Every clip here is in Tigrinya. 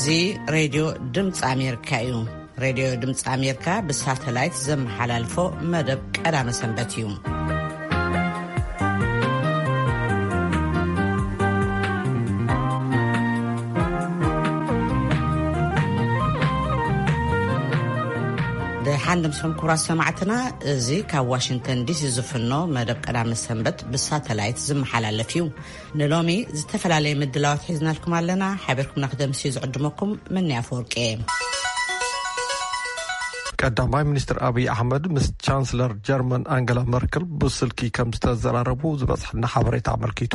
እዚ ሬድዮ ድምፂ ኣሜሪካ እዩ። ሬድዮ ድምፂ ኣሜሪካ ብሳተላይት ዘመሓላልፎ መደብ ቀዳመ ሰንበት እዩ። ደሓን ድምስኹም ክቡራት ሰማዕትና፣ እዚ ካብ ዋሽንግተን ዲሲ ዝፍኖ መደብ ቀዳመ ሰንበት ብሳተላይት ዝመሓላለፍ እዩ። ንሎሚ ዝተፈላለየ ምድላዋት ሒዝናልኩም ኣለና። ሓቢርኩምና ክደምስ እዩ ዝዕድመኩም። መኒ ኣፈወርቂ እየ። ቀዳማይ ሚኒስትር ኣብይ ኣሕመድ ምስ ቻንስለር ጀርመን ኣንገላ መርክል ብስልኪ ከም ዝተዘራረቡ ዝበፅሐና ሓበሬታ ኣመልኪቱ፣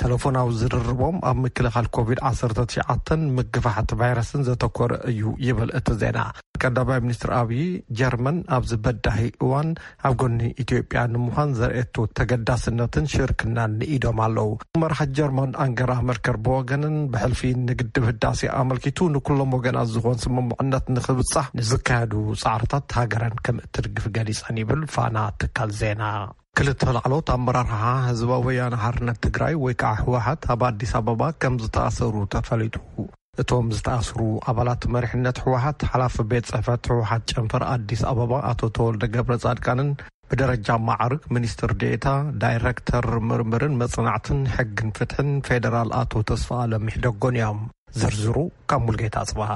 ተለፎናዊ ዝርርቦም ኣብ ምክልኻል ኮቪድ ዓሰርተ ትሽዓተን ምግፋሕ እቲ ቫይረስን ዘተኮረ እዩ ይብል እቲ ዜና። ቀዳማይ ሚኒስትር ኣብይ ጀርመን ኣብዚ በዳሂ እዋን ኣብ ጎኒ ኢትዮጵያ ንምዃን ዘርእየቶ ተገዳስነትን ሽርክናን ንኢዶም ኣለዉ። መራሒ ጀርመን ኣንገላ መርከል ብወገንን ብሕልፊ ንግድብ ህዳሴ ኣመልኪቱ ንኩሎም ወገናት ዝኾን ስምምዕነት ንክብጻሕ ንዝካየዱ ጻዕርታት ሃገረን ከም እትድግፍ ገሊጸን ይብል ፋና ትካል ዜና። ክልተ ላዕሎት ኣመራርሓ ህዝባዊ ወያነ ሓርነት ትግራይ ወይ ከዓ ህወሓት ኣብ ኣዲስ ኣበባ ከም ዝተኣሰሩ ተፈሊጡ። እቶም ዝተኣስሩ ኣባላት መሪሕነት ህወሓት፣ ሓላፊ ቤት ጽሕፈት ህወሓት ጨንፈር ኣዲስ ኣበባ ኣቶ ተወልደ ገብረ ጻድቃንን ብደረጃ ማዕርግ ሚኒስትር ዴኤታ ዳይሬክተር ምርምርን መጽናዕትን ሕግን ፍትሕን ፌዴራል ኣቶ ተስፋ ኣለም ይሕደጎን እዮም። ዝርዝሩ ካብ ሙልጌታ ኣጽብሃ።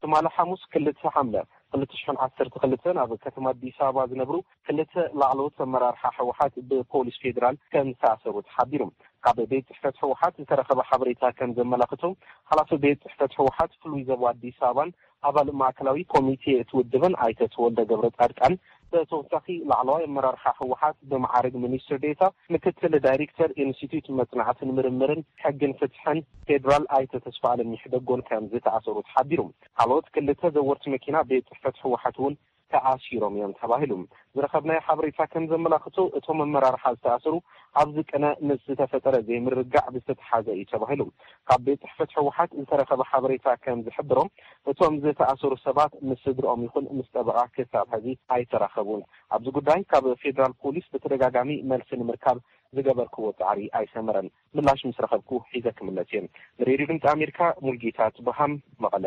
ትማሊ ሓሙስ ክልተ ሓምለ ክልተ ሽሕን ዓሰርተ ክልተን ኣብ ከተማ ኣዲስ ኣበባ ዝነብሩ ክልተ ላዕለዎት ኣመራርሓ ህወሓት ብፖሊስ ፌዴራል ከም ዝተኣሰሩ ተሓቢሩ። ካብ ቤት ጽሕፈት ህወሓት ዝተረኸበ ሓበሬታ ከም ዘመላኽቶ፣ ሓላፊ ቤት ጽሕፈት ህወሓት ፍሉይ ዞባ ኣዲስ ኣበባን ኣባል ማእከላዊ ኮሚቴ እቲ ውድብን ኣይተ ተወልደ ገብረ ጻድቃን፣ ብተወሳኺ ላዕለዋይ ኣመራርሓ ህወሓት ብመዓርግ ሚኒስትር ዴታ ምክትል ዳይሬክተር ኢንስቲትዩት መጽናዕትን ምርምርን ሕግን ፍትሕን ፌዴራል ኣይተ ተስፋ ኣለም ይሕደጎን ከም ዝተኣሰሩ ተሓቢሩ። ካልኦት ክልተ ዘወርቲ መኪና ቤት ጽሕፈት ህወሓት እውን ተኣሲሮም እዮም ተባሂሉ። ዝረኸብናዮ ሓበሬታ ከም ዘመላኽቶ፣ እቶም ኣመራርሓ ዝተኣሰሩ ኣብዚ ቅነ ምስ ዝተፈጠረ ዘይምርግጋዕ ብዝተተሓዘ እዩ ተባሂሉ። ካብ ቤት ጽሕፈት ህወሓት ዝተረኸበ ሓበሬታ ከም ዝሕብሮ፣ እቶም ዝተኣሰሩ ሰባት ምስ ስድርኦም ይኹን ምስ ጠበቓ ክሳብ ሕዚ ኣይተራኸቡን። ኣብዚ ጉዳይ ካብ ፌዴራል ፖሊስ ብተደጋጋሚ መልሲ ንምርካብ ዝገበርክዎ ጻዕሪ ኣይሰመረን። ምላሽ ምስ ረኸብኩ ሒዘ ክምለስ እየ። ንሬድዮ ድምፂ ኣሜሪካ ሙልጌታ ጽብሃም፣ መቐለ።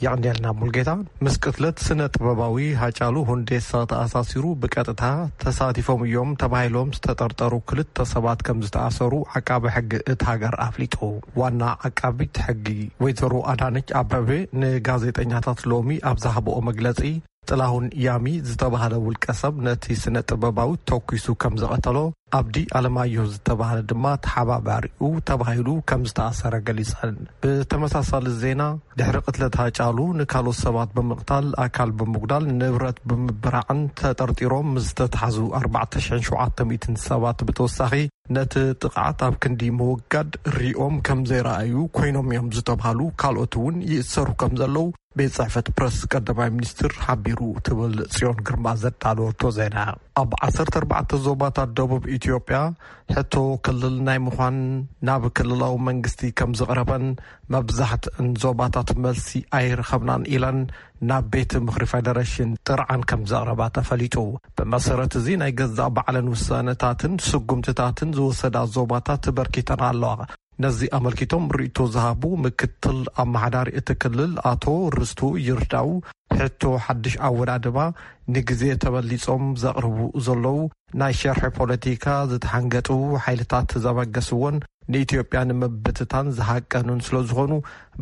የቐንየልና ሙልጌታ። ምስ ቅትለት ስነ ጥበባዊ ሃጫሉ ሁንዴሳ ተኣሳሲሩ ብቀጥታ ተሳቲፎም እዮም ተባሂሎም ዝተጠርጠሩ ክልተ ሰባት ከም ዝተኣሰሩ ዓቃቢ ሕጊ እቲ ሃገር ኣፍሊጡ። ዋና ዓቃቢት ሕጊ ወይዘሮ ኣዳነች ኣበቤ ንጋዜጠኛታት ሎሚ ኣብ ዝሃብኦ መግለጺ፣ ጥላሁን ያሚ ዝተባህለ ውልቀ ሰብ ነቲ ስነ ጥበባዊ ተኩሱ ከም ዝቐተሎ፣ ኣብዲ ኣለማየሁ ዝተባህለ ድማ ተሓባባሪኡ ተባሂሉ ከም ዝተኣሰረ ገሊጸን። ብተመሳሳሊ ዜና፣ ድሕሪ ቅትለት ሃጫሉ ንካልኦት ሰባት ብምቕታል፣ ኣካል ብምጉዳል፣ ንብረት ብምብራዕን ተጠርጢሮም ምስ ዝተታሕዙ ኣርባዕተ ሽሕን ሸውዓተ ሚእትን ሰባት ብተወሳኺ፣ ነቲ ጥቕዓት ኣብ ክንዲ ምውጋድ ሪኦም ከም ዘይረኣዩ ኮይኖም እዮም ዝተባህሉ ካልኦት እውን ይእሰሩ ከም ዘለዉ ቤት ጽሕፈት ፕረስ ቀዳማይ ሚኒስትር ሓቢሩ ትብል ጽዮን ግርማ ዘዳለወቶ ዜና። ኣብ ዓሰርተ ኣርባዕተ ዞባታት ደቡብ ኢትዮጵያ ሕቶ ክልል ናይ ምዃን ናብ ክልላዊ መንግስቲ ከም ዝቕረበን መብዛሕትእን ዞባታት መልሲ ኣይረኸብናን ኢለን ናብ ቤት ምኽሪ ፌደሬሽን ጥርዓን ከም ዘቕረባ ተፈሊጡ። ብመሰረት እዚ ናይ ገዛእ ባዕለን ውሳነታትን ስጉምትታትን ዝወሰዳ ዞባታት በርኪተን ኣለዋ። ነዚ ኣመልኪቶም ርእይቶ ዝሃቡ ምክትል ኣመሓዳሪ እቲ ክልል ኣቶ ርስቱ ይርዳው፣ ሕቶ ሓድሽ ኣወዳድባ ንግዜ ተበሊጾም ዘቕርቡ ዘለዉ ናይ ሸርሒ ፖለቲካ ዝተሓንገጡ ሓይልታት ዘበገስዎን ንኢትዮጵያ ንምብትታን ዝሃቀኑን ስለ ዝኾኑ፣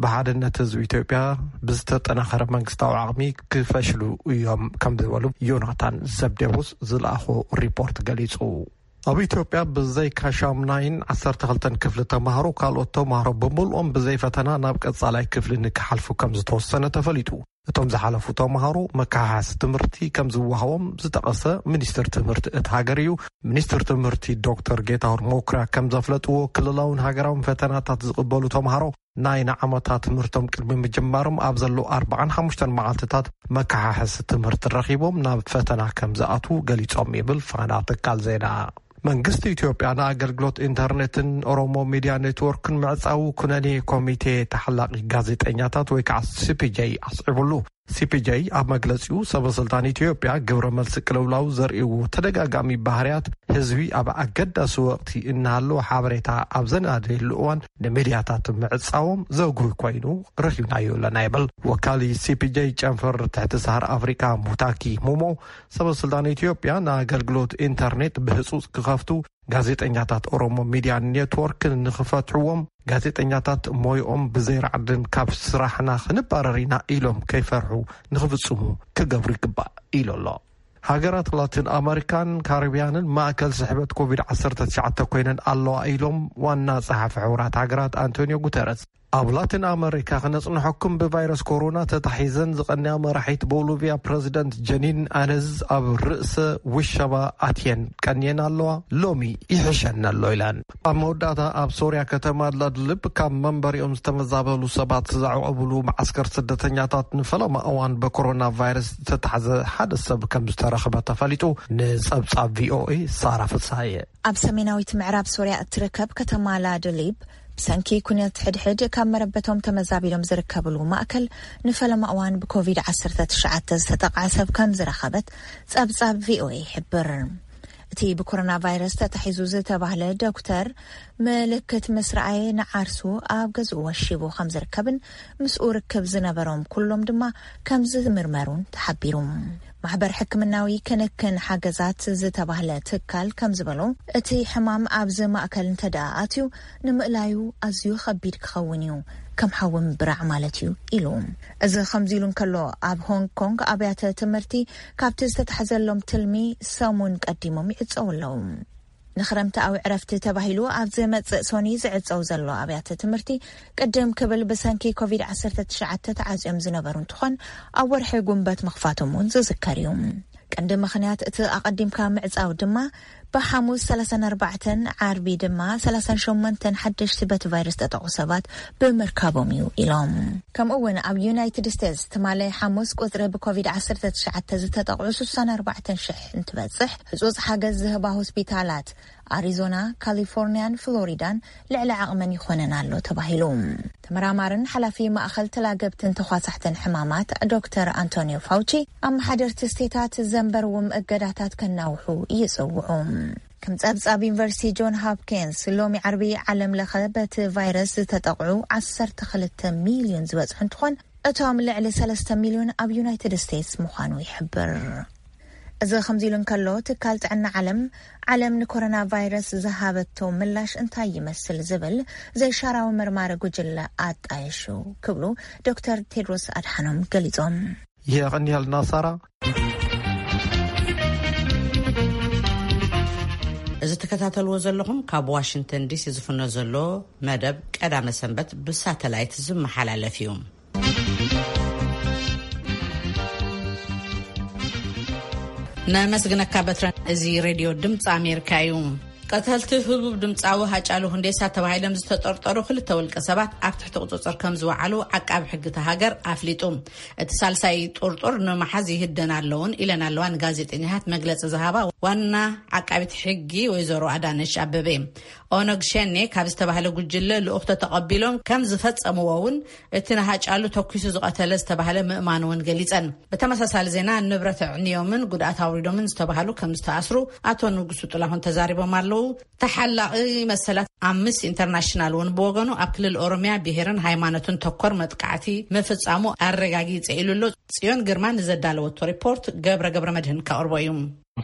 ብሓድነት ህዝቢ ኢትዮጵያ ብዝተጠናኸረ መንግስታዊ ዓቕሚ ክፈሽሉ እዮም ከም ዝበሉ ዮናታን ዘብዴዎስ ዝለኣኾ ሪፖርት ገሊጹ። ኣብ ኢትዮጵያ ብዘይካ ሻምናይን ዓሰርተ ክልተን ክፍሊ ተማሃሮ፣ ካልኦት ተማሃሮ ብምልኦም ብዘይ ፈተና ናብ ቀጻላይ ክፍሊ ንክሓልፉ ከም ዝተወሰነ ተፈሊጡ። እቶም ዝሓለፉ ተማሃሮ መከሓሓሲ ትምህርቲ ከም ዝወሃቦም ዝጠቐሰ ሚኒስትር ትምህርቲ እቲ ሃገር እዩ። ሚኒስትር ትምህርቲ ዶክተር ጌታሁን መኩሪያ ከም ዘፍለጥዎ፣ ክልላውን ሃገራውን ፈተናታት ዝቕበሉ ተማሃሮ ናይ ንዓመታ ትምህርቶም ቅድሚ ምጅማሮም ኣብ ዘሎ ኣርባዓን ሓሙሽተን መዓልትታት መከሓሕሲ ትምህርቲ ረኺቦም ናብ ፈተና ከም ዝኣትዉ ገሊጾም ይብል ፋና ትካል ዜና። መንግስቲ ኢትዮጵያ ንኣገልግሎት ኢንተርኔትን ኦሮሞ ሚድያ ኔትወርክን ምዕጻዉ ኩነኔ ኮሚቴ ተሓላቒ ጋዜጠኛታት ወይ ከዓ ሲፒጄ ኣስዒቡሉ። ሲፒጄ ኣብ መግለጺኡ፣ ሰበ ስልጣን ኢትዮጵያ ግብረ መልሲ ቅልውላው ዘርእይዎ ተደጋጋሚ ባህርያት፣ ህዝቢ ኣብ ኣገዳሲ ወቕቲ እናሃለወ ሓበሬታ ኣብ ዘናደየሉ እዋን፣ ንሚድያታት ምዕጻዎም ዘጉሂ ኮይኑ ረኺብናዮ ኣለና ይብል። ወካሊ ሲፒጄ ጨንፈር ትሕቲ ሰሃራ ኣፍሪቃ ሙታኪ ሙሞ፣ ሰበ ስልጣን ኢትዮጵያ ንኣገልግሎት ኢንተርኔት ብህጹጽ ክኸፍቱ፣ ጋዜጠኛታት ኦሮሞ ሚድያ ኔትወርክ ንኽፈትሕዎም፣ ጋዜጠኛታት ሞይኦም ብዘይራዕድን ካብ ስራሕና ክንባረር ኢና ኢሎም ከይፈርሑ ንኽፍጽሙ ክገብሩ ይግባእ ኢሉ ኣሎ። ሃገራት ላቲን ኣመሪካን ካሪብያንን ማእከል ስሕበት ኮቪድ ዓሰርተ ትሽዓተ ኮይነን ኣለዋ ኢሎም ዋና ጸሓፊ ሕቡራት ሃገራት ኣንቶኒዮ ጉተረስ። ኣብ ላቲን ኣመሪካ ክነጽንሐኩም፣ ብቫይረስ ኮሮና ተታሒዘን ዝቐንያ መራሒት ቦሊቪያ ፕረዚደንት ጀኒን ኣነዝ ኣብ ርእሰ ውሸባ ኣትየን ቀንየን ኣለዋ። ሎሚ ይሕሸና ኣሎ ኢለን። ኣብ መወዳእታ ኣብ ሶርያ ከተማ ላድልብ ካብ መንበሪኦም ዝተመዛበሉ ሰባት ዘዕቆብሉ መዓስከር ስደተኛታት ንፈለማ እዋን ብኮሮና ቫይረስ ዝተታሕዘ ሓደ ሰብ ከም ዝተረኽበ ተፈሊጡ። ንጸብጻብ ቪኦኤ ሳራ ፍሳየ። ኣብ ሰሜናዊት ምዕራብ ሶርያ እትርከብ ከተማ ላድሊብ ብሰንኪ ኩነት ሕድሕድ ካብ መረበቶም ተመዛቢሎም ዝርከብሉ ማእከል ንፈለማ እዋን ብኮቪድ ዓሰርተ ትሽዓተ ዝተጠቕዐ ሰብ ከም ዝረኸበት ጸብጻብ ቪኦኤ ይሕብር። እቲ ብኮሮና ቫይረስ ተታሒዙ ዝተባህለ ዶክተር ምልክት ምስ ረኣየ ንዓርሱ ኣብ ገዝኡ ወሺቡ ከም ዝርከብን ምስኡ ርክብ ዝነበሮም ኩሎም ድማ ከም ዝምርመሩን ተሓቢሩ። ማሕበር ሕክምናዊ ክንክን ሓገዛት ዝተባህለ ትካል ከም ዝበሎ፣ እቲ ሕማም ኣብዚ ማእከል እንተ ደኣ ኣትዩ ንምእላዩ ኣዝዩ ከቢድ ክኸውን እዩ፣ ከም ሓዊ ምብራዕ ማለት እዩ ኢሉ። እዚ ከምዚ ኢሉ እንከሎ፣ ኣብ ሆንግ ኮንግ ኣብያተ ትምህርቲ ካብቲ ዝተታሕዘሎም ትልሚ ሰሙን ቀዲሞም ይዕጸው ኣለዉ። ንክረምታዊ ዕረፍቲ ተባሂሉ ኣብ ዝመጽእ ሶኒ ዝዕጸው ዘሎ ኣብያተ ትምህርቲ ቅድም ክብል ብሰንኪ ኮቪድ ዓሰርተ ትሽዓተ ተዓጽዮም ዝነበሩ እንትኾን፣ ኣብ ወርሒ ጉንበት ምኽፋቶም እውን ዝዝከር እዩ። ቀንዲ ምኽንያት እቲ ኣቐዲምካ ምዕጻው ድማ ብሓሙስ ሰላሳን ኣርባዕተን፣ ዓርቢ ድማ ሰላሳን ሸሞንተን ሓደሽቲ በቲ ቫይረስ ተጠቑ ሰባት ብምርካቦም እዩ ኢሎም። ከምኡ እውን ኣብ ዩናይትድ ስቴትስ ትማሊ ሓሙስ ቁጽሪ ብኮቪድ ዓሰርተ ትሽዓተ ዝተጠቕዑ ስሳን ኣርባዕተን ሽሕ እንትበጽሕ፣ ህጹጽ ሓገዝ ዝህባ ሆስፒታላት ኣሪዞና፣ ካሊፎርኒያን ፍሎሪዳን ልዕሊ ዓቕመን ይኾነን ኣሎ ተባሂሉ። ተመራማርን ሓላፊ ማእኸል ተላገብትን ተዃሳሕትን ሕማማት ዶክተር ኣንቶኒዮ ፋውቺ፣ ኣመሓደርቲ ስቴታት ዘንበርዎም እገዳታት ከናውሑ ይጽውዑ። ከም ጸብጻብ ዩኒቨርሲቲ ጆን ሆፕኪንስ፣ ሎሚ ዓርቢ ዓለም ለኸ በቲ ቫይረስ ዝተጠቕዑ ዓሰርተ ክልተ ሚልዮን ዝበጽሑ እንትኾን፣ እቶም ልዕሊ ሰለስተ ሚልዮን ኣብ ዩናይትድ ስቴትስ ምዃኑ ይሕብር። እዚ ከምዚ ኢሉ እንከሎ፣ ትካል ጥዕና ዓለም፣ ዓለም ንኮሮና ቫይረስ ዝሃበቶ ምላሽ እንታይ ይመስል ዝብል ዘይሻራዊ መርማሪ ጉጅለ ኣጣየሹ ክብሉ ዶክተር ቴድሮስ ኣድሓኖም ገሊጾም። የቐንየልና ሳራ። እዚ ትከታተልዎ ዘለኹም ካብ ዋሽንግተን ዲሲ ዝፍኖ ዘሎ መደብ ቀዳመ ሰንበት ብሳተላይት ዝመሓላለፍ እዩ። ነመስግነካ በትረ። እዚ ሬድዮ ድምፂ ኣሜሪካ እዩ። ቀተልቲ ህቡብ ድምፃዊ ሃጫሉ ሁንዴሳ ተባሂሎም ዝተጠርጠሩ ክልተ ውልቀ ሰባት ኣብ ትሕቲ ቁፅፅር ከም ዝወዓሉ ዓቃቢ ሕጊ እታ ሃገር ኣፍሊጡ። እቲ ሳልሳይ ጥርጡር ንምሓዝ ይህደን ኣለውን ኢለን ኣለዋ ንጋዜጠኛታት መግለፂ ዝሃባ ዋና ዓቃቢት ሕጊ ወይዘሮ ኣዳነሽ ኣበበ። ኦነግ ሸኔ ካብ ዝተባህለ ጉጅለ ልኡኽቶ ተቐቢሎም ከም ዝፈጸምዎ እውን እቲ ንሃጫሉ ተኲሱ ዝቐተለ ዝተባህለ ምእማኑ እውን ገሊጸን። ብተመሳሳሊ ዜና፣ ንብረት ኣዕንዮምን ጉድኣት ኣውሪዶምን ዝተባህሉ ከም ዝተኣስሩ ኣቶ ንጉሱ ጥላሁን ተዛሪቦም ኣለዉ። ተሓላቒ መሰላት ኣምነስቲ ኢንተርናሽናል እውን ብወገኑ፣ ኣብ ክልል ኦሮሚያ ብሄርን ሃይማኖትን ተኮር መጥቃዕቲ ምፍጻሙ ኣረጋጊጸ ኢሉ ኣሎ። ጽዮን ግርማ ንዘዳለወቶ ሪፖርት ገብረ ገብረ መድህን ከቕርቦ እዩ።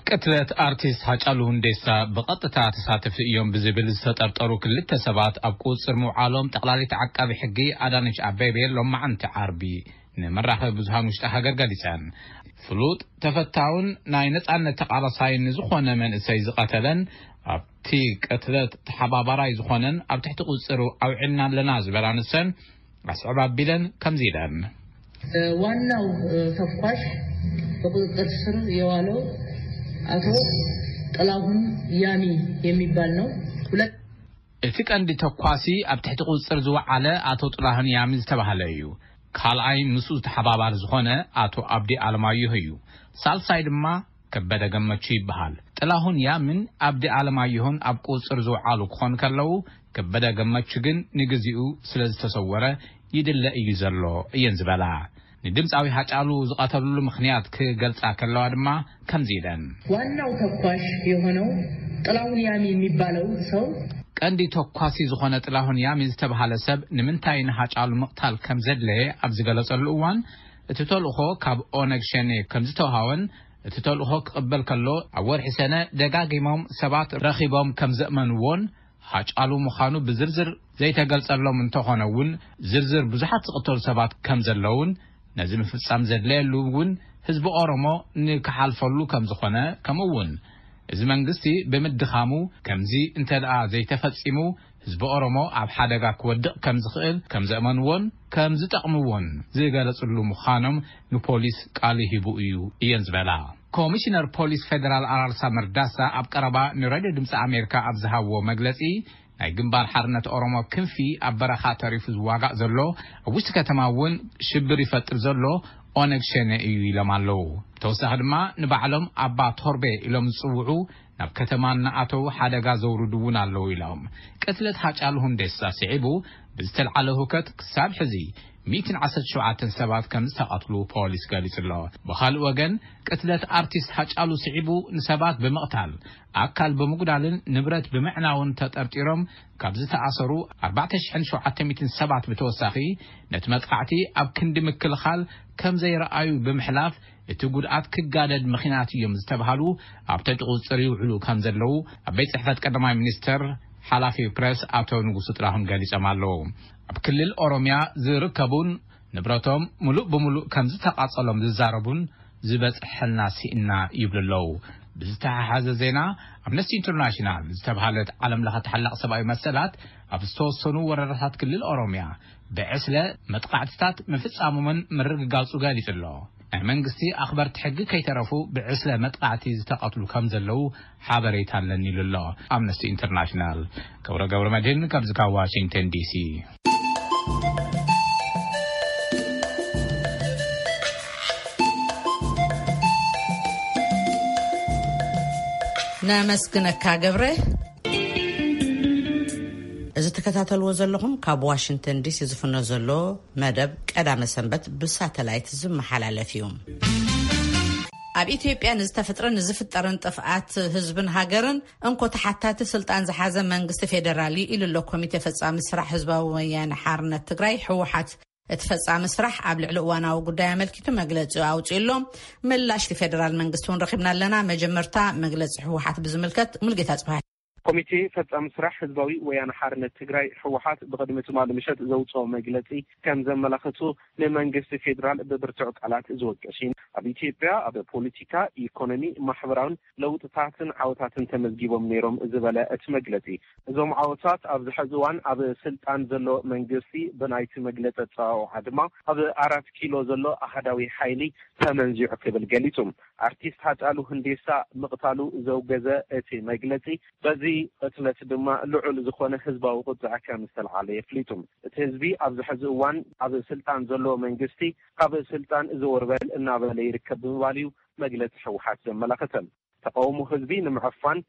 ቅትለት ኣርቲስት ሃጫሉ ሁንዴሳ ብቐጥታ ተሳተፍቲ እዮም ብዝብል ዝተጠርጠሩ ክልተ ሰባት ኣብ ቁጽር ምውዓሎም ጠቕላሊት ዓቃቢ ሕጊ ኣዳነች ኣቤቤ ሎማዓንቲ ዓርቢ ንመራኸቢ ብዙሃን ውሽጢ ሃገር ገሊጸን። ፍሉጥ ተፈታውን ናይ ነጻነት ተቓላሳይን ዝኾነ መንእሰይ ዝቐተለን ኣብቲ ቅትለት ተሓባባራይ ዝኾነን ኣብ ትሕቲ ቁጽር ኣውዒልና ኣለና ዝበላ ንሰን ኣስዕብ ኣቢለን ከምዚ ኢለን። ዋናው ተኳሽ በቁጥጥር ስር የዋለው አቶ ጥላሁን ያሚ የሚባል ነው። ሁለት እቲ ቀንዲ ተኳሲ ኣብ ትሕቲ ቁጽር ዝወዓለ ኣቶ ጥላሁን ያሚ ዝተባህለ እዩ። ካልኣይ ምስኡ ተሓባባሪ ዝኾነ ኣቶ ኣብዲ ኣለማየሁ እዩ። ሳልሳይ ድማ ከበደ ገመቹ ይበሃል። ጥላሁን ያምን ኣብዲ ኣለማየሁን ኣብ ቁጽር ዝወዓሉ ክኾኑ ከለዉ፣ ከበደ ገመቹ ግን ንግዚኡ ስለ ዝተሰወረ ይድለ እዩ ዘሎ እየን ዝበላ። ንድምፃዊ ሃጫሉ ዝቐተሉሉ ምኽንያት ክገልፃ ከለዋ ድማ ከምዚ ኢለን። ዋናው ተኳሽ የሆነው ጥላሁን ያሚ የሚባለው ሰው ቀንዲ ተኳሲ ዝኾነ ጥላሁን ያሚ ዝተባሃለ ሰብ ንምንታይ ንሃጫሉ ምቕታል ከም ዘድለየ ኣብ ዝገለጸሉ እዋን፣ እቲ ተልእኾ ካብ ኦነግ ሸኔ ከም ዝተውሃወን እቲ ተልእኾ ክቕበል ከሎ ኣብ ወርሒ ሰነ ደጋጊሞም ሰባት ረኺቦም ከም ዘእመንዎን ሃጫሉ ምዃኑ ብዝርዝር ዘይተገልጸሎም እንተኾነ እውን ዝርዝር ብዙሓት ዝቕተሉ ሰባት ከም ዘለውን ነዚ ምፍጻም ዘድለየሉ እውን ህዝቢ ኦሮሞ ንክሓልፈሉ ከም ዝኾነ ከምኡ እውን እዚ መንግስቲ ብምድኻሙ ከምዚ እንተ ደኣ ዘይተፈጺሙ ህዝቢ ኦሮሞ ኣብ ሓደጋ ክወድቕ ከም ዝኽእል ከም ዘእመንዎን ከም ዝጠቕምዎን ዝገለጽሉ ምዃኖም ንፖሊስ ቃል ሂቡ እዩ እየን ዝበላ። ኮሚሽነር ፖሊስ ፌደራል ኣራርሳ መርዳሳ ኣብ ቀረባ ንሬድዮ ድምፂ ኣሜሪካ ኣብ ዝሃብዎ መግለፂ ናይ ግንባር ሓርነት ኦሮሞ ክንፊ ኣብ በረኻ ተሪፉ ዝዋጋእ ዘሎ ኣብ ውሽጢ ከተማ እውን ሽብር ይፈጥር ዘሎ ኦነግ ሸኔ እዩ ኢሎም ኣለዉ። ተወሳኺ ድማ ንባዕሎም ኣባ ቶርቤ ኢሎም ዝፅውዑ ናብ ከተማ እናኣተዉ ሓደጋ ዘውርዱ እውን ኣለዉ ኢሎም። ቅትለት ሃጫሉ ሁንዴሳ ስዒቡ ብዝተልዓለ ሁከት ክሳብ ሕዚ ሚእትን ዓሰርተ ሸውዓተን ሰባት ከም ዝተቐትሉ ፖሊስ ገሊጹ ኣሎ። ብኻልእ ወገን ቅትለት ኣርቲስት ሃጫሉ ስዒቡ ንሰባት ብምቕታል ኣካል ብምጉዳልን ንብረት ብምዕናውን ተጠርጢሮም ካብ ዝተኣሰሩ ኣርባዕተ ሽሕን ሸውዓተ ሚእትን ሰባት ብተወሳኺ ነቲ መጥቃዕቲ ኣብ ክንዲ ምክልኻል ከም ዘይረኣዩ ብምሕላፍ እቲ ጉድኣት ክጋደድ ምኽንያት እዮም ዝተባሃሉ ኣብ ትሕቲ ቁፅፅር ይውዕሉ ከም ዘለዉ ኣብ ቤት ፅሕፈት ቀዳማይ ሚኒስተር ሓላፊ ፕረስ ኣቶ ንጉሱ ጥላሁን ገሊጾም ኣለዉ። ኣብ ክልል ኦሮሚያ ዝርከቡን ንብረቶም ምሉእ ብምሉእ ከም ዝተቓጸሎም ዝዛረቡን ዝበጽሐልና ስኢና ይብሉ ኣለዉ። ብዝተሓሓዘ ዜና ኣምነስቲ ኢንተርናሽናል ዝተባሃለት ዓለም ለኸ ተሓላቕ ሰብኣዊ መሰላት ኣብ ዝተወሰኑ ወረዳታት ክልል ኦሮሚያ ብዕስለ መጥቃዕትታት ምፍጻሞምን ምርግጋጹ ገሊጹ ኣሎ። ናይ መንግስቲ ኣኽበርቲ ሕጊ ከይተረፉ ብዕስለ መጥቃዕቲ ዝተቐትሉ ከም ዘለዉ ሓበሬታ ኣለኒ ኢሉ ኣሎ ኣምነስቲ ኢንተርናሽናል። ገብረ ገብረ መድህን ካብዚ ካብ ዋሽንግተን ዲሲ። ነመስግነካ ገብረ። እዚ ትከታተልዎ ዘለኹም ካብ ዋሽንግተን ዲሲ ዝፍኖ ዘሎ መደብ ቀዳመ ሰንበት ብሳተላይት ዝመሓላለፍ እዩ። ኣብ ኢትዮጵያ ንዝተፈጥረን ንዝፍጠርን ጥፍኣት ህዝብን ሃገርን እንኮ ተሓታቲ ስልጣን ዝሓዘ መንግስቲ ፌደራል እዩ ኢሉ ኣሎ ኮሚቴ ፈጻሚ ስራሕ ህዝባዊ ወያነ ሓርነት ትግራይ ህወሓት። እቲ ፈጻሚ ስራሕ ኣብ ልዕሊ እዋናዊ ጉዳይ ኣመልኪቱ መግለጺ ኣውጺኡ ኣሎ። ምላሽ እቲ ፌደራል መንግስቲ እውን ረኺብና ኣለና። መጀመርታ መግለጺ ህወሓት ብዝምልከት ሙልጌታ ጽባሕ። ኮሚቴ ፈጻሚ ስራሕ ህዝባዊ ወያነ ሓርነት ትግራይ ህወሓት ብቕድሚ ትማሊ ምሸት ዘውፅኦ መግለፂ ከም ዘመላኸቱ ንመንግስቲ ፌዴራል ብብርቱዕ ቃላት ዝወቀስ እዩ። ኣብ ኢትዮጵያ ኣብ ፖለቲካ፣ ኢኮኖሚ፣ ማሕበራውን ለውጥታትን ዓወታትን ተመዝጊቦም ነይሮም ዝበለ እቲ መግለፂ፣ እዞም ዓወታት ኣብዚ ሕዚ እዋን ኣብ ስልጣን ዘሎ መንግስቲ ብናይቲ መግለፂ ኣፀዋውዓ ድማ ኣብ ኣራት ኪሎ ዘሎ ኣሃዳዊ ሓይሊ ተመንዚዑ ክብል ገሊፁ። ኣርቲስት ሃጫሉ ሁንዴሳ ምቕታሉ ዘውገዘ እቲ መግለፂ፣ በዚ ቅትለት ድማ ልዑል ዝኾነ ህዝባዊ ቁፅዐ ከም ዝተልዓለ የፍሊጡ። እቲ ህዝቢ ኣብዚ ሕዚ እዋን ኣብ ስልጣን ዘሎ መንግስቲ ካብ ስልጣን ዘወር በል እናበለ ይርከብ ብምባል እዩ መግለፂ ህወሓት ዘመላኸተ። ተቃውሞ ህዝቢ ንምዕፋን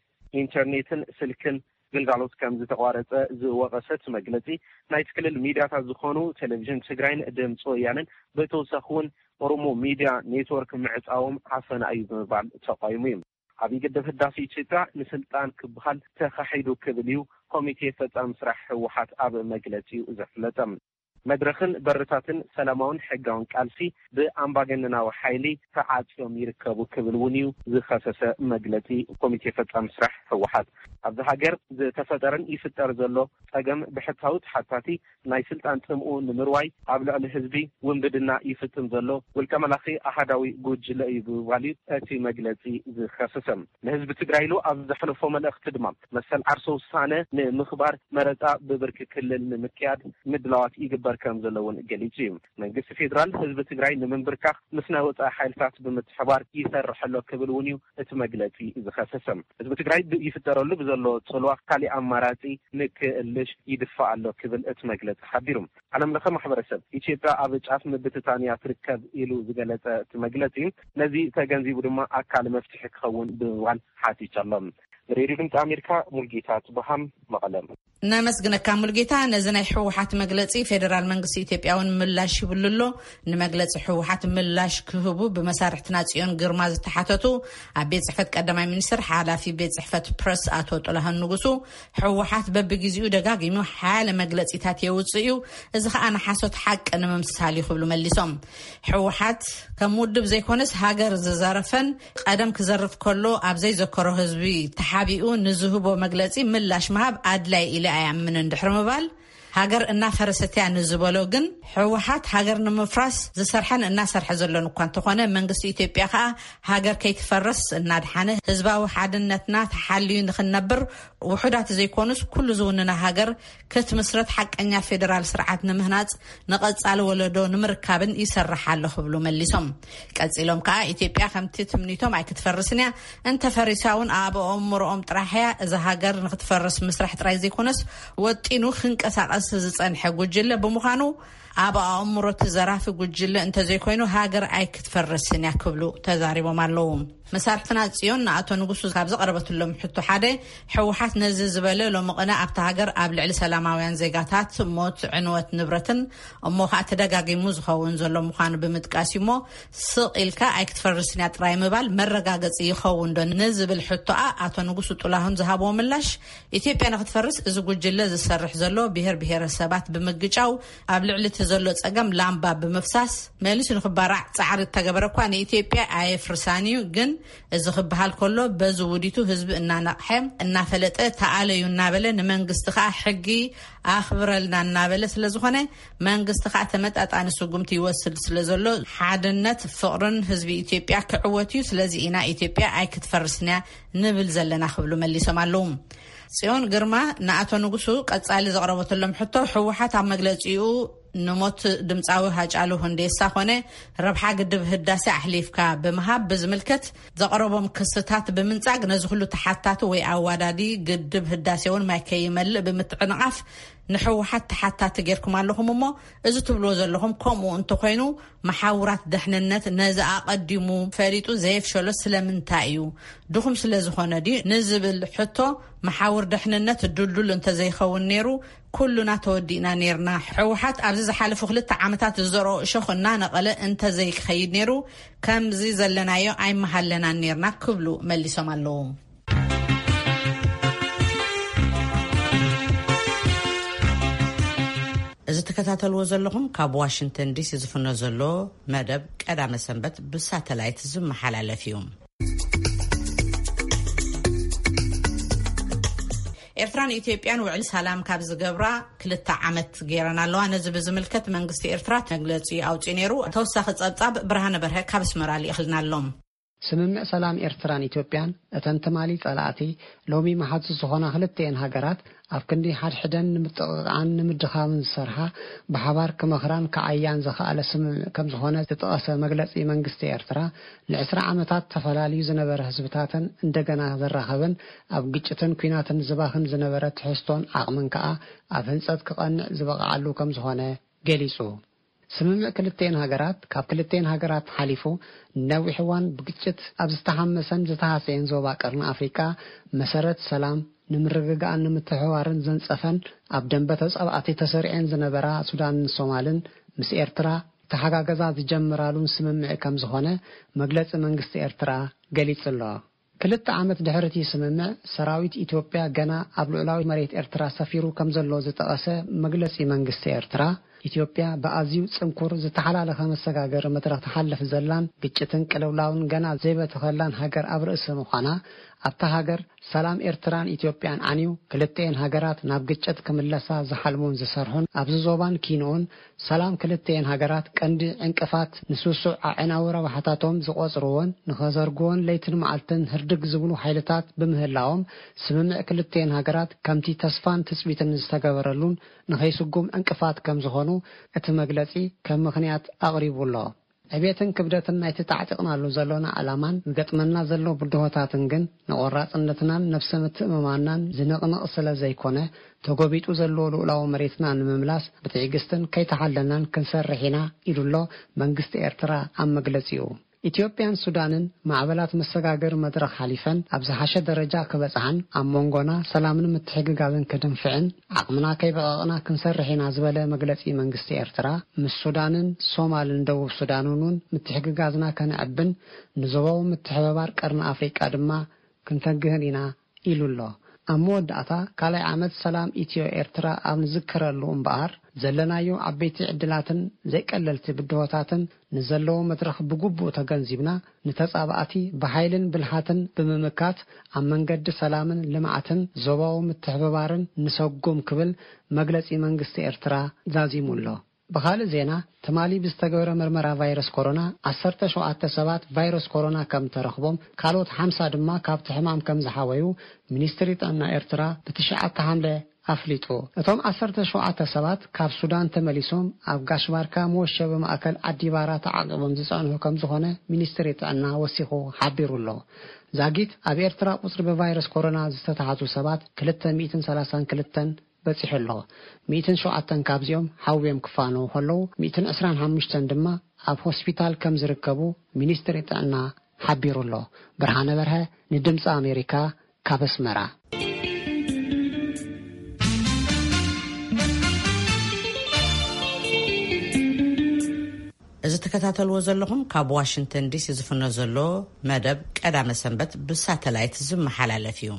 ኢንተርኔትን ስልክን ግልጋሎት ከም ዝተቋረፀ ዝወቐሰ እቲ መግለፂ፣ ናይቲ ክልል ሚድያታት ዝኾኑ ቴሌቪዥን ትግራይን ድምፂ ወያነን ብተወሳኺ እውን ኦሮሞ ሚድያ ኔትወርክ ምዕፃዎም ዓፈና እዩ ብምባል ተቃይሙ እዩ። ዓብዪ ግድብ ህዳሴ ኢትዮጵያ ንስልጣን ክበሃል ተኻሒዱ ክብል እዩ ኮሚቴ ፈፃሚ ስራሕ ህወሓት ኣብ መግለፂኡ ዘፍለጠ። መድረኽን በርታትን ሰላማውን ሕጋውን ቃልሲ ብኣምባገነናዊ ሓይሊ ተዓፅዮም ይርከቡ ክብል እውን እዩ ዝኸሰሰ መግለፂ ኮሚቴ ፈፃሚ ስራሕ ህወሓት። ኣብዚ ሃገር ዝተፈጠረን ይፍጠር ዘሎ ፀገም ብሕታዊ ተሓታቲ ናይ ስልጣን ጥምኡ ንምርዋይ ኣብ ልዕሊ ህዝቢ ውንብድና ይፍፅም ዘሎ ውልቀ መላኺ ኣሃዳዊ ጉጅለ እዩ ብምባል እዩ እቲ መግለፂ ዝኸሰሰ። ንህዝቢ ትግራይ ኢሉ ኣብ ዘሕለፎ መልእኽቲ ድማ መሰል ዓርሰ ውሳነ ንምኽባር መረፃ ብብርኪ ክልል ንምክያድ ምድላዋት ይግበር ከም ዘሎ እውን ገሊፁ እዩ። መንግስቲ ፌዴራል ህዝቢ ትግራይ ንምንብርካኽ ምስ ናይ ወፃኢ ሓይልታት ብምትሕባር ይሰርሕ ኣሎ ክብል እውን እዩ እቲ መግለፂ ዝኸሰሰ። ህዝቢ ትግራይ ብ-፣ ይፍጠረሉ ብዘሎ ፅልዋ ካሊእ ኣማራፂ ንክእልሽ ይድፋእ ኣሎ ክብል እቲ መግለፂ ሓቢሩ። ዓለም ለኸ ማሕበረሰብ ኢትዮጵያ ኣብ ጫፍ ምብትታን እያ ትርከብ ኢሉ ዝገለፀ እቲ መግለፂ፣ ነዚ ተገንዚቡ ድማ ኣካል መፍትሒ ክኸውን ብምባል ሓቲቱ ኣሎ። ሬድዮ ድምፂ ኣሜሪካ፣ ሙልጌታ ጽቡሃም፣ መቐለ። ነመስግነካ ሙልጌታ። ነዚ ናይ ህወሓት መግለጺ ፌደራል መንግስቲ ኢትዮጵያ እውን ምላሽ ይብሉ ኣሎ። ንመግለጺ ህወሓት ምላሽ ክህቡ ብመሳርሕትና ጽዮን ግርማ ዝተሓተቱ ኣብ ቤት ጽሕፈት ቀዳማይ ሚኒስትር ሓላፊ ቤት ጽሕፈት ፕረስ ኣቶ ጥላሁን ንጉሱ፣ ህወሓት በብግዜኡ ደጋጊሙ ሓያለ መግለጺታት የውጽእ እዩ፣ እዚ ከኣ ንሓሶት ሓቂ ንምምሳል እዩ ክብሉ መሊሶም። ህወሓት ከም ውድብ ዘይኮነስ ሃገር ዝዘረፈን ቀደም ክዘርፍ ከሎ ኣብ ዘይዘከሮ ህዝቢ ተሓቢኡ ንዝህቦ መግለጺ ምላሽ ምሃብ ኣድላይ ኢለ ኣይኣምንን ድሕሪ ምባል፣ ሃገር እናፈረሰት እያ ንዝበሎ ግን፣ ህወሓት ሃገር ንምፍራስ ዝሰርሐን እናሰርሐ ዘሎን እኳ እንተኾነ፣ መንግስቲ ኢትዮጵያ ከኣ ሃገር ከይትፈርስ እናድሓነ፣ ህዝባዊ ሓድነትና ተሓልዩ ንኽንነብር ውሑዳት ዘይኮኑስ ኩሉ ዝውንና ሃገር ክትምስረት ሓቀኛ ፌደራል ስርዓት ንምህናጽ ንቐጻሊ ወለዶ ንምርካብን ይሰርሕ ኣሎ ክብሉ መሊሶም። ቀጺሎም ከኣ ኢትዮጵያ ከምቲ ትምኒቶም ኣይክትፈርስን እያ፣ እንተፈሪሳ እውን ኣብ ኣእምሮኦም ጥራሕ እያ። እዛ ሃገር ንክትፈርስ ምስራሕ ጥራይ ዘይኮነስ ወጢኑ ክንቀሳቐስ ዝጸንሐ ጉጅለ ብምዃኑ ኣብ ኣእምሮ እቲ ዘራፊ ጉጅለ እንተዘይኮይኑ ሃገር ኣይክትፈርስን እያ ክብሉ ተዛሪቦም ኣለዉ። መሳርሕትና ጽዮን ንኣቶ ንጉሱ ካብ ዘቐረበትሎም ሕቶ ሓደ፣ ህወሓት ነዚ ዝበለ ሎሚ ቅነ ኣብታ ሃገር ኣብ ልዕሊ ሰላማውያን ዜጋታት ሞት፣ ዕንወት ንብረትን እሞ ከኣ ተደጋጊሙ ዝኸውን ዘሎ ምዃኑ ብምጥቃስ እዩ እሞ ስቕ ኢልካ ኣይክትፈርስን እያ ጥራይ ምባል መረጋገጺ ይኸውን ዶ ንዝብል ሕቶኣ ኣቶ ንጉሱ ጥላሁን ዝሃብዎ ምላሽ፣ ኢትዮጵያ ንክትፈርስ እዚ ጉጅለ ዝሰርሕ ዘሎ ብሄር ብሄረሰባት ብምግጫው ኣብ ልዕሊ እቲ ዘሎ ጸገም ላምባ ብምፍሳስ መሊሱ ንክባራዕ ጻዕሪ እተገበረ እኳ ንኢትዮጵያ ኣየፍርሳን እዩ። ግን እዚ ክበሃል ከሎ በዚ ውዲቱ ህዝቢ እናነቕሐ እናፈለጠ ተኣለዩ እናበለ ንመንግስቲ ከኣ ሕጊ ኣኽብረልና እናበለ ስለ ዝኾነ መንግስቲ ከኣ ተመጣጣኒ ስጉምቲ ይወስድ ስለ ዘሎ ሓድነት ፍቕርን ህዝቢ ኢትዮጵያ ክዕወት እዩ። ስለዚ ኢና ኢትዮጵያ ኣይክትፈርስን እያ ንብል ዘለና ክብሉ መሊሶም ኣለዉ። ጽዮን ግርማ ንኣቶ ንጉሱ ቀጻሊ ዘቕረበትሎም ሕቶ፣ ህወሓት ኣብ መግለጺኡ ንሞት ድምጻዊ ሃጫሉ ሁንዴሳ ኮነ ረብሓ ግድብ ህዳሴ ኣሕሊፍካ ብምሃብ ብዝምልከት ዘቕረቦም ክስታት ብምንጻግ ነዚ ኩሉ ተሓታቲ ወይ ኣዋዳዲ ግድብ ህዳሴ እውን ማይ ከይመልእ ብምትዕንቓፍ ንህወሓት ተሓታቲ ጌርኩም ኣለኹም እሞ እዚ ትብልዎ ዘለኹም ከምኡ እንተኾይኑ መሓውራት ደሕንነት ነዚ ኣቐዲሙ ፈሊጡ ዘየፍሸሎ ስለምንታይ እዩ? ድኹም ስለ ዝኾነ ድዩ ንዝብል ሕቶ፣ መሓውር ደሕንነት ድልዱል እንተዘይኸውን ነይሩ ኩሉና ተወዲእና ነይርና። ህወሓት ኣብዚ ዝሓለፉ ክልተ ዓመታት ዝዘርኦ እሾኽ እናነቐለ እንተዘይክኸይድ ነይሩ ከምዚ ዘለናዮ ኣይመሃለናን ነይርና ክብሉ መሊሶም ኣለዉ። እዚ ትከታተልዎ ዘለኹም ካብ ዋሽንግተን ዲሲ ዝፍኖ ዘሎ መደብ ቀዳመ ሰንበት ብሳተላይት ዝመሓላለፍ እዩ። ኤርትራን ኢትዮጵያን ውዕል ሰላም ካብ ዝገብራ ክልተ ዓመት ገይረን ኣለዋ። ነዚ ብዝምልከት መንግስቲ ኤርትራ መግለጺ ኣውጺኡ ነይሩ። ተወሳኺ ጸብጻብ ብርሃነ በርሀ ካብ ኣስመራ ልኢኽልና ኣሎ። ስምምዕ ሰላም ኤርትራን ኢትዮጵያን እተን ትማሊ ጸላእቲ ሎሚ መሓዙት ዝኾና ክልተኤን ሃገራት ኣብ ክንዲ ሓድሕደን ንምጥቕቓዕን ንምድኻምን ዝሰርሓ ብሓባር ክመኽራን ክዓያን ዘኽኣለ ስምምዕ ከም ዝኾነ ዝጠቐሰ መግለጺ መንግስቲ ኤርትራ ንዕስራ ዓመታት ተፈላልዩ ዝነበረ ህዝብታተን እንደገና ዘራኸበን ኣብ ግጭትን ኲናትን ዝባኽን ዝነበረ ትሕዝቶን ዓቕምን ከኣ ኣብ ህንጸት ክቐንዕ ዝበቕዓሉ ከም ዝኾነ ገሊጹ። ስምምዕ ክልተኤን ሃገራት ካብ ክልተኤን ሃገራት ሓሊፉ ንነዊሕ እዋን ብግጭት ኣብ ዝተሃመሰን ዝተሃሰየን ዞባ ቀርኒ ኣፍሪቃ መሰረት ሰላም ንምርግጋእን ንምትሕብባርን ዘንጸፈን ኣብ ደንበ ተጻባእቲ ተሰሪዐን ዝነበራ ሱዳንን ሶማልን ምስ ኤርትራ ተሓጋገዛ ዝጀምራሉን ስምምዕ ከም ዝኾነ መግለጺ መንግስቲ ኤርትራ ገሊጹ ኣሎ። ክልተ ዓመት ድሕሪ እቲ ስምምዕ፣ ሰራዊት ኢትዮጵያ ገና ኣብ ልዑላዊ መሬት ኤርትራ ሰፊሩ ከም ዘሎ ዝጠቐሰ መግለጺ መንግስቲ ኤርትራ፣ ኢትዮጵያ ብኣዝዩ ጽንኩር ዝተሓላለኸ መሰጋገሪ መድረኽ ትሓልፍ ዘላን ግጭትን ቅልውላውን ገና ዘይበተኸላን ሃገር ኣብ ርእሲ ምዃና፣ ኣብታ ሃገር ሰላም ኤርትራን ኢትዮጵያን ዓንዩ፣ ክልተኤን ሃገራት ናብ ግጭት ክምለሳ ዝሓልሙን ዝሰርሑን፣ ኣብዚ ዞባን ኪንኡን ሰላም ክልተኤን ሃገራት ቀንዲ ዕንቅፋት ንስሱዕ ኣዕናዊ ረብሓታቶም ዝቖጽርዎን ንኸዘርግዎን ለይትን መዓልትን ህርድግ ዝብሉ ሓይልታት ብምህላዎም፣ ስምምዕ ክልተኤን ሃገራት ከምቲ ተስፋን ትጽቢትን ዝተገበረሉን ንኸይስጉም ዕንቅፋት ከም ዝኾኑ እቲ መግለጺ ከም ምኽንያት ኣቕሪቡ ኣሎ። ዕቤትን ክብደትን ናይቲ ተዓጢቕናሉ ዘሎና ዕላማን ዝገጥመና ዘሎ ብድሆታትን ግን ንቖራጽነትናን ነብሰ ምትእምማንናን ዝንቕንቕ ስለ ዘይኮነ፣ ተጎቢጡ ዘሎ ልኡላዊ መሬትና ንምምላስ ብትዕግስትን ከይተሓለልናን ክንሰርሕ ኢና ኢሉ ኣሎ መንግስቲ ኤርትራ ኣብ መግለጺኡ። ኢትዮጵያን ሱዳንን ማዕበላት መሰጋገሪ መድረኽ ሓሊፈን ኣብ ዝሓሸ ደረጃ ክበጽሓን ኣብ መንጎና ሰላምን ምትሕግጋዝን ክድንፍዕን ዓቕምና ከይበቐቕና ክንሰርሕ ኢና ዝበለ መግለጺ መንግስቲ ኤርትራ፣ ምስ ሱዳንን ሶማልን ደቡብ ሱዳንን እውን ምትሕግጋዝና ከነዕብን ንዞባዊ ምትሕብባር ቀርኒ ኣፍሪቃ ድማ ክንተግህን ኢና ኢሉ ኣሎ። ኣብ መወዳእታ ካልኣይ ዓመት ሰላም ኢትዮ ኤርትራ ኣብ ንዝከረሉ እምበኣር ዘለናዮ ዓበይቲ ዕድላትን ዘይቀለልቲ ብድሆታትን ንዘለዎ መድረኽ ብግቡእ ተገንዚብና ንተጻባእቲ ብሓይልን ብልሓትን ብምምካት ኣብ መንገዲ ሰላምን ልምዓትን ዞባዊ ምትሕብባርን ንሰጉም ክብል መግለጺ መንግስቲ ኤርትራ ዛዚሙ ኣሎ። ብኻልእ ዜና ትማሊ ብዝተገበረ መርመራ ቫይረስ ኮሮና ዓሰርተ ሸውዓተ ሰባት ቫይረስ ኮሮና ከም ተረኽቦም ካልኦት ሓምሳ ድማ ካብቲ ሕማም ከም ዝሓወዩ ሚኒስትሪ ጥዕና ኤርትራ ብትሽዓተ ሓምለ ኣፍሊጡ። እቶም ዓሰርተ ሸውዓተ ሰባት ካብ ሱዳን ተመሊሶም ኣብ ጋሽ ባርካ መወሸቢ ማእከል ዓዲባራ ተዓቂቦም ዝጸንሑ ከም ዝኾነ ሚኒስትሪ ጥዕና ወሲኹ ሓቢሩ ኣሎ። ዛጊት ኣብ ኤርትራ ቁጽሪ ብቫይረስ ኮሮና ዝተታሕዙ ሰባት ክልተ ሚእትን ሰላሳን ክልተን በጺሑ ኣሎ። ሚእትን ሸውዓተን ካብዚኦም ሓውዮም ክፋነዉ ከለዉ፣ ሚእትን ዕስራን ሓሙሽተን ድማ ኣብ ሆስፒታል ከም ዝርከቡ ሚኒስትሪ ጥዕና ሓቢሩ ኣሎ። ብርሃነ በርሀ ንድምፂ ኣሜሪካ ካብ ኣስመራ። እዚ ትከታተልዎ ዘለኹም ካብ ዋሽንግተን ዲሲ ዝፍኖ ዘሎ መደብ ቀዳመ ሰንበት ብሳተላይት ዝመሓላለፍ እዩ።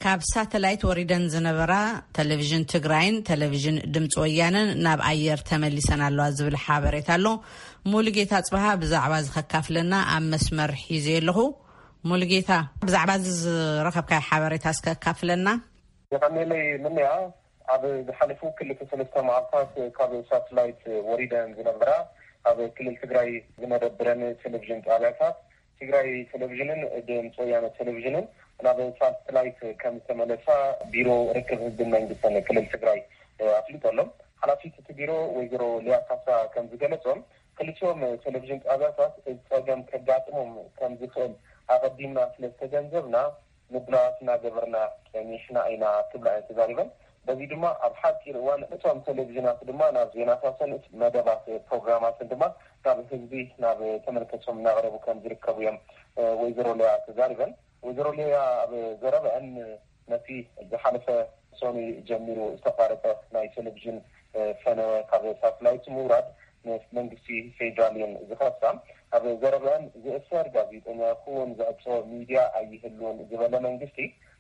ካብ ሳተላይት ወሪደን ዝነበራ ቴሌቪዥን ትግራይን ቴሌቪዥን ድምፂ ወያነን ናብ ኣየር ተመሊሰን ኣለዋ ዝብል ሓበሬታ ኣሎ። ሙሉጌታ ጽብሃ ብዛዕባ እዚ ከካፍለና ኣብ መስመር ሒዘ ኣለኹ። ሙሉጌታ፣ ብዛዕባ እዚ ዝረኸብካዮ ሓበሬታ እስከ ኣካፍለና። የቐኔለይ ምንያ፣ ኣብ ዝሓለፉ ክልተ ሰለስተ መዓልታት ካብ ሳተላይት ወሪደን ዝነበራ ኣብ ክልል ትግራይ ዝመደብረን ቴሌቪዥን ጣብያታት ትግራይ ቴሌቪዥንን ድምፂ ወያነ ቴሌቪዥንን ናብ ሳተላይት ከም ዝተመለሳ ቢሮ ርክብ ህዝብን መንግስትን ክልል ትግራይ ኣፍሊጡ ኣሎ። ሓላፊት እቲ ቢሮ ወይዘሮ ሊያ ካሳ ከም ዝገለጾም፣ ክልቲኦም ቴሌቪዥን ጣብያታት እዚ ጸገም ከጋጥሞም ከም ዝኽእል ኣቐዲምና ስለ ዝተገንዘብና ምድላዋት እናገበርና ጸኒሕና ኢና ክብላ እየን ተዛሪበን። በዚ ድማ ኣብ ሓፂር እዋን እቶም ቴሌቪዥናት ድማ ናብ ዜናታትን መደባት ፕሮግራማትን ድማ ናብ ህዝቢ ናብ ተመልከቶም እናቕረቡ ከም ዝርከቡ እዮም ወይዘሮ ሊያ ተዛሪበን። ወይዘሮ ሊያ ኣብ ዘረበአን ነቲ ዝሓለፈ ሰኑይ ጀሚሩ ዝተቋረጸ ናይ ቴሌቪዥን ፈነወ ካብ ሳትላይት ምውራድ ምስ መንግስቲ ፌዴራል እየን ዝኸሳ። ኣብ ዘረበአን ዝእሰር ጋዜጠኛ ይኹን ዝዕጾ ሚድያ ኣይህልውን ዝበለ መንግስቲ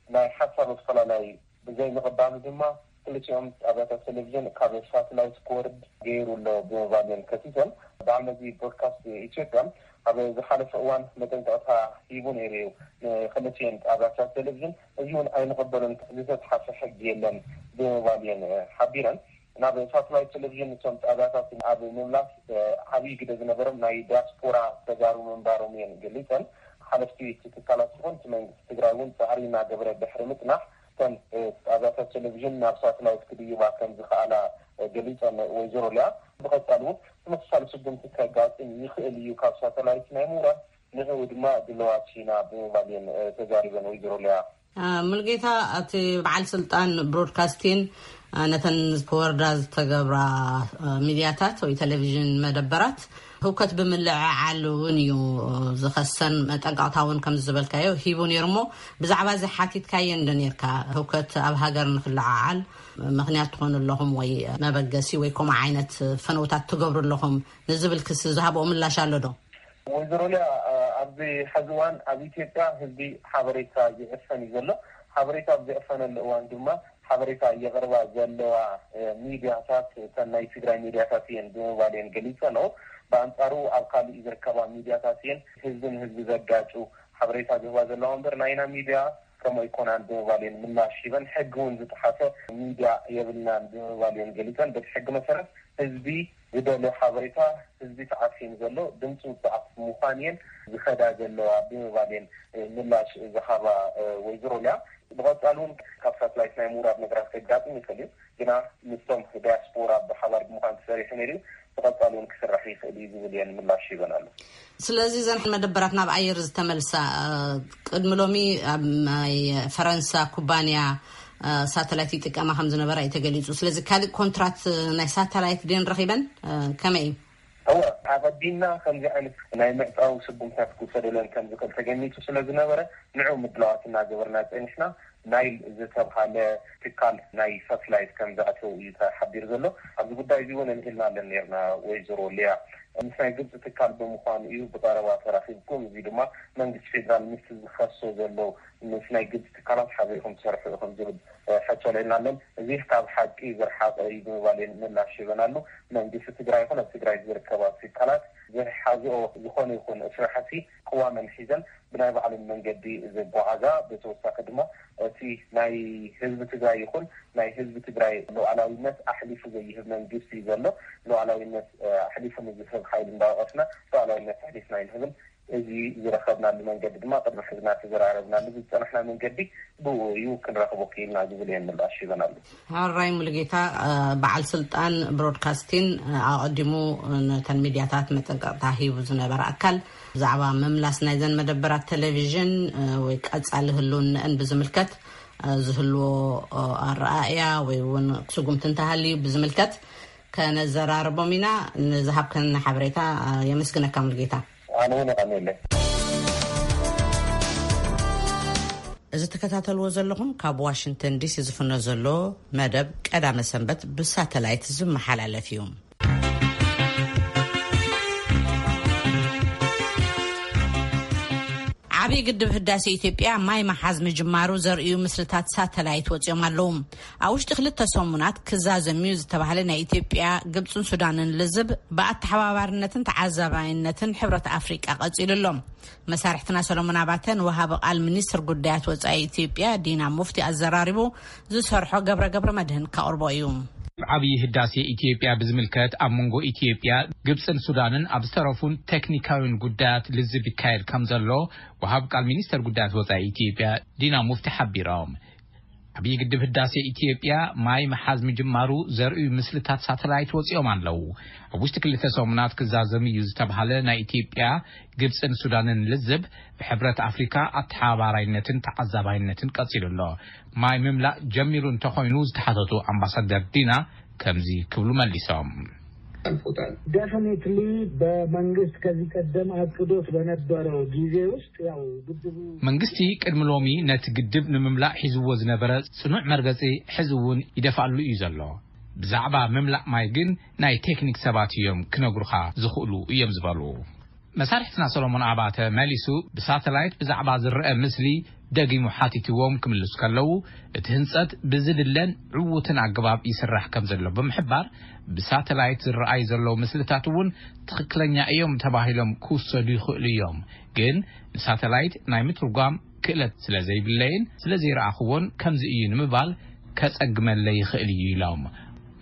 ናይ ሓሳብ ኣፈላላይ ብዘይ ምቕባሉ ድማ ክልቲኦም ጣብያታት ቴሌቪዥን ካብ ሳትላይት ክወርድ ገይሩ ኣሎ ብምባል እየን ከሲሰን። በዓል መዚ ብሮድካስት ኢትዮጵያ ኣብ ዝሓለፈ እዋን መጠንቀቕታ ሂቡ ነይሩ እዩ ንክልቲኤን ጣብያታት ቴሌቪዥን። እዚ እውን ኣይንቕበሉን፣ ዝተፅሓፈ ሕጊ የለን ብምባል እየን ሓቢረን። ናብ ሳትላይት ቴሌቪዥን እቶም ጣብያታት ኣብ ምምላስ ዓብዪ ግደ ዝነበሮም ናይ ዲያስፖራ ተጋሩ ምንባሮም እየን ገሊፀን። ሓለፍቲ እቲ ትካላት ይኹን እቲ መንግስቲ ትግራይ እውን ፃዕሪ እናገበረ ድሕሪ ምፅናሕ እተን ጣብያታት ቴሌቪዥን ናብ ሳትላይት ክድይባ ከም ዝኸኣላ ገሊፀን ወይዘሮ ሊያ። ብቐፃሊ እውን ተመሳሳሊ ስጉምቲ ከጋጥም ይኽእል እዩ፣ ካብ ሳተላይት ናይ ምውራድ ንዕኡ ድማ ድለዋት ኢና ብምባል እየን ተዛሪበን ወይዘሮ ሊያ። ሙልጌታ፣ እቲ በዓል ስልጣን ብሮድካስቲን ነተን ክወርዳ ዝተገብራ ሚድያታት ወይ ቴሌቪዥን መደበራት ህውከት ብምልዕዓል እውን እዩ ዝኸሰን፣ መጠንቀቕታ እውን ከም ዝበልካዮ ሂቡ ነይሩ። እሞ ብዛዕባ እዚ ሓቲትካየን ዶ ነርካ? ህውከት ኣብ ሃገር ንክልዓዓል ምክንያት ትኾኑ ኣለኹም ወይ መበገሲ ወይ ከምኡ ዓይነት ፈነውታት ትገብሩ ኣለኹም ንዝብል ክሲ ዝሃብኦ ምላሽ ኣሎ ዶ? ወይዘሮ ሊያ፣ ኣብዚ ሐዚ እዋን ኣብ ኢትዮጵያ ህዝቢ ሓበሬታ ይዕፈን እዩ ዘሎ። ሓበሬታ ኣብ ዝዕፈነሉ እዋን ድማ ሓበሬታ የቕርባ ዘለዋ ሚድያታት እተን ናይ ትግራይ ሚድያታት እየን ብምባል እየን ገሊፀንኦ። ብኣንፃሩ ኣብ ካሊእ ዝርከባ ሚድያታት እየን ህዝቢ ንህዝቢ ዘጋጩ ሓበሬታ ዝህባ ዘለዋ እምበር ናይና ሚድያ ከምኡ ኣይኮናን ብምባል እየን ምላሽ ሂበን። ሕጊ እውን ዝጠሓሰ ሚድያ የብልናን ብምባል እየን ገሊፀን። በቲ ሕጊ መሰረት ህዝቢ ዝደልዮ ሓበሬታ ህዝቢ ተዓፊኑ ዘሎ ድምፂ ውፅዓት ምዃን እየን ዝኸዳ ዘለዋ ብምባል እየን ምላሽ ዝሃባ ወይዘሮ ሊያ። ብቐፃሊ እውን ካብ ሳትላይት ናይ ምውራድ ነገራት ከጋጥም ይኽእል እዩ፣ ግና ምስቶም ዲያስፖራ ብሓባር ብምዃን ተሰሪሑ ነይሩ፣ ብቐፃሊ እውን ክስራሕ ይኽእል እዩ ዝብል እየን ምላሽ ሂበን ኣሎ። ስለዚ እዘን መደበራት ናብ ኣየር ዝተመልሳ ቅድሚ ሎሚ ኣብ ናይ ፈረንሳ ኩባንያ ሳተላይት ይጥቀማ ከም ዝነበራ እዩ ተገሊፁ። ስለዚ ካልእ ኮንትራት ናይ ሳተላይት ድን ረኺበን ከመይ እዩ? እወ፣ ኣቐዲምና ከምዚ ዓይነት ናይ ምዕጻው ስጉምታት ክውሰደለን ከም ዝኽእል ተገሚቱ ስለ ዝነበረ፣ ንዑ ምድላዋት እናገበርና ጸኒሕና። ናይል ዝተብሃለ ትካል ናይ ሳትላይት ከም ዘእተው እዩ ተሓቢሩ ዘሎ። ኣብዚ ጉዳይ እዚ እውን ኣልዒልና ኣለን ነርና። ወይዘሮ ሊያ፣ ምስ ናይ ግብፂ ትካል ብምዃኑ እዩ ብቐረባ ተራኺብኩም። እዚ ድማ መንግስቲ ፌዴራል ምስቲ ዝኸሶ ዘሎ ምስ ናይ ግብፂ ትካላት ሓቢርኩም ትሰርሑ ኢኹም ዝብል ሕቶ ኣልዒልና ኣለን። እዚ ካብ ሓቂ ዝረሓቐ እዩ ብምባል እየን ምላሽ ሂበናሉ። መንግስቲ ትግራይ ይኹን ኣብ ትግራይ ዝርከባ ትካላት ዝሓዝኦ ዝኾነ ይኹን ስራሕቲ ቅዋመን ሒዘን ብናይ ባዕለን መንገዲ ዘጓዓዛ። ብተወሳኺ ድማ እቲ ናይ ህዝቢ ትግራይ ይኹን ናይ ህዝቢ ትግራይ ሉዓላዊነት ኣሕሊፉ ዘይህብ መንግስቲ ዘሎ። ሉዓላዊነት ኣሕሊፉ ንዝህብ ሓይሊ እንዳወቀስና ሉዓላዊነት ኣሕሊፍና ኣይንህብን። እዚ ዝረኸብናሉ መንገዲ ድማ ቅድሚ ሕዚ እናተዘራረብናሉ ዝፀናሕና መንገዲ ብኡ እዩ። ክንረኽቦ ክኢልና ዝብል እየን ምላሽ ሂበናሉ። ሕራይ ሙሉጌታ፣ በዓል ስልጣን ብሮድካስቲን ኣቐዲሙ ነተን ሚድያታት መጠንቀቕታ ሂቡ ዝነበረ ኣካል ብዛዕባ ምምላስ ናይዘን መደበራት ቴሌቪዥን ወይ ቀጻሊ ህልውነአን ብዝምልከት ዝህልዎ ኣረኣእያ ወይ እውን ስጉምቲ እንተሃልዩ ብዝምልከት ከነዘራርቦም ኢና። ንዝሃብከና ሓበሬታ የመስግነካ ሙሉጌታ። ኣነ እውን የቐንየለይ። እዚ ትከታተልዎ ዘለኹም ካብ ዋሽንግተን ዲሲ ዝፍኖ ዘሎ መደብ ቀዳመ ሰንበት ብሳተላይት ዝመሓላለፍ እዩ። ዓብዪ ግድብ ህዳሴ ኢትዮጵያ ማይ መሓዝ ምጅማሩ ዘርእዩ ምስልታት ሳተላይት ወፂኦም ኣለዉ። ኣብ ውሽጢ ክልተ ሰሙናት ክዛዘም እዩ ዝተባህለ ናይ ኢትዮጵያ፣ ግብፅን ሱዳንን ልዝብ ብኣተሓባባርነትን ተዓዛባይነትን ሕብረት ኣፍሪቃ ቀፂሉ ኣሎ። መሳርሕትና ሰሎሞን ኣባተ ንወሃቢ ቃል ሚኒስትር ጉዳያት ወፃኢ ኢትዮጵያ ዲና ሙፍቲ ኣዘራሪቡ ዝሰርሖ ገብረ ገብረ መድህን ከቕርቦ እዩ። ዓብዪ ህዳሴ ኢትዮጵያ ብዝምልከት ኣብ መንጎ ኢትዮጵያ፣ ግብፅን ሱዳንን ኣብ ዝተረፉን ቴክኒካዊን ጉዳያት ልዝብ ይካየድ ከም ዘሎ ወሃብ ቃል ሚኒስተር ጉዳያት ወፃኢ ኢትዮጵያ ዲና ሙፍቲ ሓቢሮም። ዓብዪ ግድብ ህዳሴ ኢትዮጵያ ማይ ምሓዝ ምጅማሩ ዘርእዩ ምስልታት ሳተላይት ወፂኦም ኣለዉ። ኣብ ውሽጢ ክልተ ሰሙናት ክዛዘም እዩ ዝተብሃለ ናይ ኢትዮጵያ፣ ግብፅን ሱዳንን ልዝብ ብሕብረት ኣፍሪካ ኣተሓባባራይነትን ተዓዛባይነትን ቀፂሉ ኣሎ። ማይ ምምላእ ጀሚሩ እንተኾይኑ ዝተሓተቱ ኣምባሳደር ዲና ከምዚ ክብሉ መሊሶም። ኣልፎታል። Definitely በመንግስት ከዚህ ቀደም አቅዶት በነበረው ጊዜ ውስጥ ያው ግድቡ መንግስቲ ቅድሚ ሎሚ ነቲ ግድብ ንምምላእ ሒዝዎ ዝነበረ ጽኑዕ መርገጺ ሕዚ እውን ይደፍኣሉ እዩ ዘሎ። ብዛዕባ ምምላእ ማይ ግን ናይ ቴክኒክ ሰባት እዮም ክነግሩኻ ዝኽእሉ እዮም ዝበሉ። መሳርሕትና ሰሎሞን ኣባተ መሊሱ ብሳተላይት ብዛዕባ ዝረአ ምስሊ ደጊሙ ሓቲትዎም ክምልሱ ከለዉ፣ እቲ ህንጸት ብዝድለን ዕዉትን ኣገባብ ይስራሕ ከም ዘሎ ብምሕባር፣ ብሳተላይት ዝረኣዩ ዘለዉ ምስልታት እውን ትኽክለኛ እዮም ተባሂሎም ክውሰዱ ይኽእሉ እዮም፣ ግን ንሳተላይት ናይ ምትርጓም ክእለት ስለ ዘይብለይን ስለ ዘይረኣኽዎን ከምዚ እዩ ንምባል ከጸግመለይ ይኽእል እዩ ኢሎም።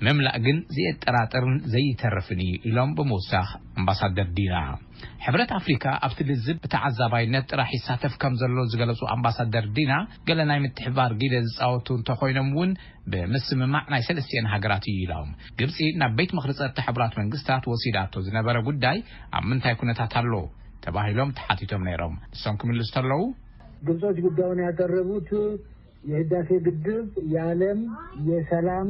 ምምላእ ግን ዘየጠራጥርን ዘይተርፍን እዩ ኢሎም ብምውሳኽ ኣምባሳደር ዲና። ሕብረት ኣፍሪካ ኣብቲ ልዝብ ብተዓዛባይነት ጥራሕ ይሳተፍ ከም ዘሎ ዝገለጹ ኣምባሳደር ዲና፣ ገለ ናይ ምትሕባር ጊደ ዝጻወቱ እንተኾይኖም እውን ብምስምማዕ ናይ ሰለስቲኤን ሃገራት እዩ ኢሎም። ግብጺ ናብ ቤት ምኽሪ ጸጥታ ሕቡራት መንግስታት ወሲዳቶ ዝነበረ ጉዳይ ኣብ ምንታይ ኩነታት ኣሎ ተባሂሎም ተሓቲቶም ነይሮም። ንሶም ክምልሱ ተለዉ ግብጾች ጉዳዩን ያቀረቡት የህዳሴ ግድብ የዓለም የሰላም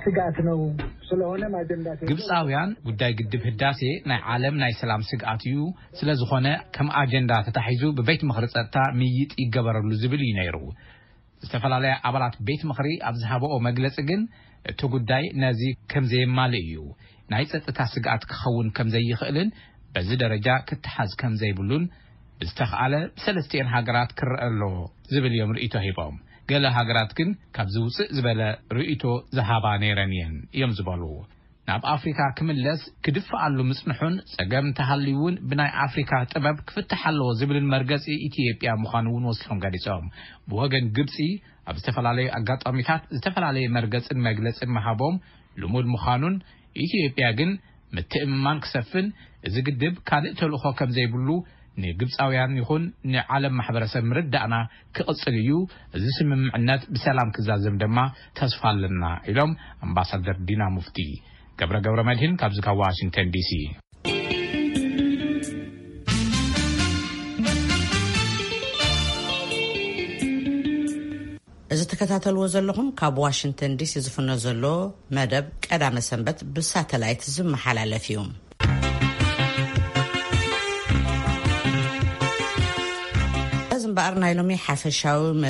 ስጋት ነው። ስለሆነም አጀንዳ ግብፃውያን ጉዳይ ግድብ ህዳሴ ናይ ዓለም ናይ ሰላም ስግኣት እዩ። ስለዝኾነ ከም ኣጀንዳ ተታሒዙ ብቤት ምኽሪ ፀጥታ ምይጥ ይገበረሉ ዝብል እዩ ነይሩ። ዝተፈላለያ ኣባላት ቤት ምኽሪ ኣብ ዝሃበኦ መግለፂ ግን እቲ ጉዳይ ነዚ ከም ዘየማልእ እዩ። ናይ ፀጥታ ስግኣት ክኸውን ከም ዘይኽእልን በዚ ደረጃ ክተሓዝ ከም ዘይብሉን ብዝተኽኣለ ብሰለስቲኤን ሃገራት ክረአ ኣለዎ ዝብል እዮም ርእይቶ ሂቦም። ገለ ሃገራት ግን ካብ ዝውፅእ ዝበለ ርእይቶ ዝሃባ ነይረን እየን እዮም ዝበሉ። ናብ ኣፍሪካ ክምለስ ክድፍኣሉ ምፅንሑን ፀገም እንተሃልዩ እውን ብናይ ኣፍሪካ ጥበብ ክፍታሕ ኣለዎ ዝብልን መርገፂ ኢትዮጵያ ምዃኑ እውን ወሲኾም ገሊፆም። ብወገን ግብፂ ኣብ ዝተፈላለዩ ኣጋጣሚታት ዝተፈላለየ መርገፅን መግለፅን ምሃቦም ልሙድ ምዃኑን ኢትዮጵያ ግን ምትእምማን ክሰፍን እዚ ግድብ ካልእ ተልእኾ ከም ዘይብሉ ንግብፃውያን ይኹን ንዓለም ማሕበረሰብ ምርዳእና ክቕፅል እዩ። እዚ ስምምዕነት ብሰላም ክዛዘም ድማ ተስፋ ኣለና ኢሎም ኣምባሳደር ዲና ሙፍቲ። ገብረ ገብረ መድህን ካብዚ ካብ ዋሽንግተን ዲሲ። እዚ ትከታተልዎ ዘለኹም ካብ ዋሽንግተን ዲሲ ዝፍኖ ዘሎ መደብ ቀዳመ ሰንበት ብሳተላይት ዝመሓላለፍ እዩ። እምበኣር ናይ ሎሚ ሓፈሻዊ